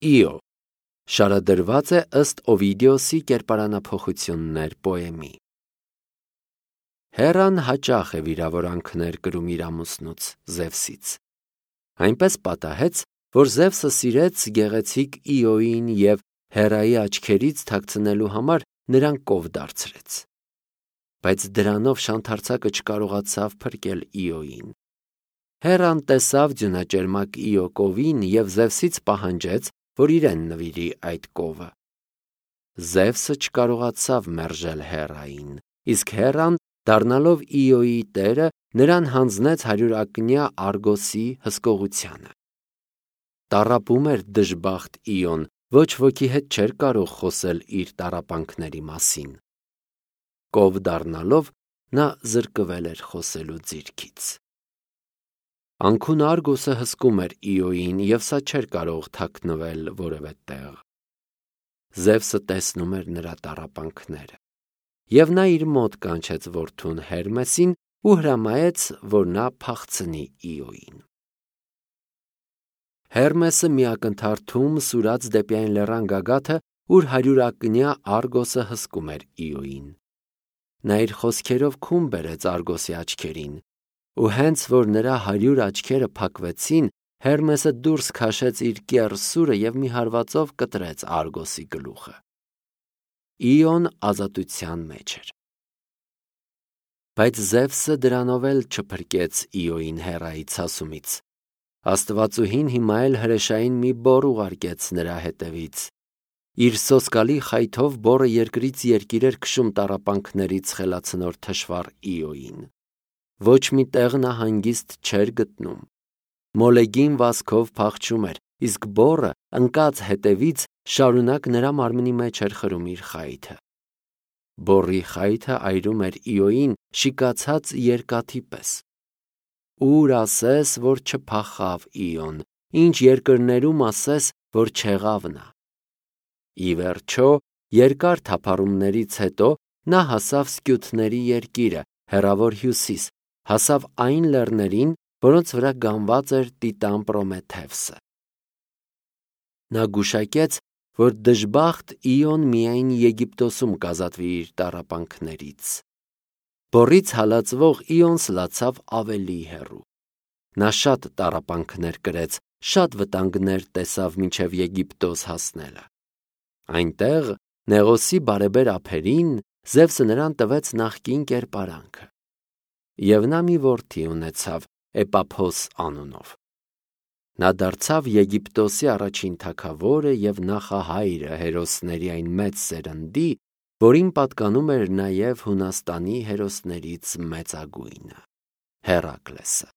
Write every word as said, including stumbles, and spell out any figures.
Իո շարադրված է ըստ Օվիդիոսի կերպարանափոխություններ պոեմի։ Հերան հաճախ է վիրավորանքներ կրում իր ամուսնուց Զևսից։ Այնպես պատահեց, որ Զևսը սիրեց գեղեցիկ Իոյին և Հերայի աչքերից թաքցնելու համար նրան կով դարձրեց։ Բայց դրանով շանթարցակը չկարողացավ փրկել Իոյին։ Հերան տեսավ ձյունաճերմակ Իո կովին և Զևսից պահանջեց, որ իրեն նվիրի այդ կովը։ Զևսը չկարողացավ մերժել Հերային, իսկ Հերան, դառնալով Իոյի տերը, նրան հանձնեց հարյուրակնյա Արգոսի հսկողությանը։ Տառապում էր դժբախտ Իոն, ոչ ոքի հետ չէր կարող խոսել իր տառապանքների մասին։ Կով դառնալով նա զրկվել էր խոսելու ձիրքից։ Անքուն Արգոսը հսկում էր Իոյին, և սա չէր կարող թաքնվել որևէ տեղ։ Զևսը տեսնում էր նրա տառապանքները, և նա իր մոտ կանչեց որդուն Հերմեսին ու հրամայեց, որ նա փախցնի Իոյին։ Հերմեսը մի ակնթարթում սուրաց դեպի այն լեռան գագաթը, ուր հարյուրակնյա Արգոսը հսկում էր Իոյին։ Նա իր խոսքերով քուն բերեց Արգոսի աչքերին, ու հենց որ նրա հարյուր աչքերը փակվեցին, Հերմեսը դուրս քաշեց իր կեռ սուրը և մի հարվածով կտրեց Արգոսի գլուխը։ Իոն ազատության մեջ էր։ Բայց Զևսը դրանով էլ չփրկեց Իոյին Հերայի ցասումից։ Աստվածուհին հիմա էլ հրեշային մի բոռ ուղարկեց նրա հետևից։ Իր սոսկալի խայթով բոռը երկրից երկիր էր քշում տառապանքներից խելացնոր թշվառ Իոյին։ Ոչ մի տեղ նա հանգիստ չէր գտնում։ Մոլեգին վազքով փախչում էր, իսկ բոռը ընկած հետևից շարունակ նրա մարմնի մեջ էր խրում իր խայթը։ Բոռի խայթը այրում էր Իոյին շիկացած երկաթի պես։ Ուր ասես, որ չփախավ Իոն, ինչ երկրներում ասես, որ չեղավ նա։ Ի վերջո, երկար թափառումներից հետո նա հասավ Սկյութների երկիրը, հեռավոր հյուսիս, հասավ այն լեռներին, որոնց վրա գանված էր Տիտան Պրոմեթևսը։ Նա գուշակեց, որ դժբախտ Իոն միայն Եգիպտոսում կազատվի իր տառապանքներից։ Բոռից հալածվող Իոն սլացավ ավելի հեռու։ Նա շատ տառապանքներ կրեց, շատ վտանգներ տեսավ մինչև Եգիպտոս հասնելը։ Այնտեղ, Նեղոսի բարեբեր ափերին, Զևսը նրան տվեց նախկին կերպարանքը։ Եվ նա մի որդի ունեցավ Էպափոս անունով։ Նա դարձավ Եգիպտոսի առաջին թագավորը և նախահայրը հերոսների այն մեծ սերնդի, որին պատկանում էր նաև Հունաստանի հերոսներից մեծագույնը՝ Հերակլեսը։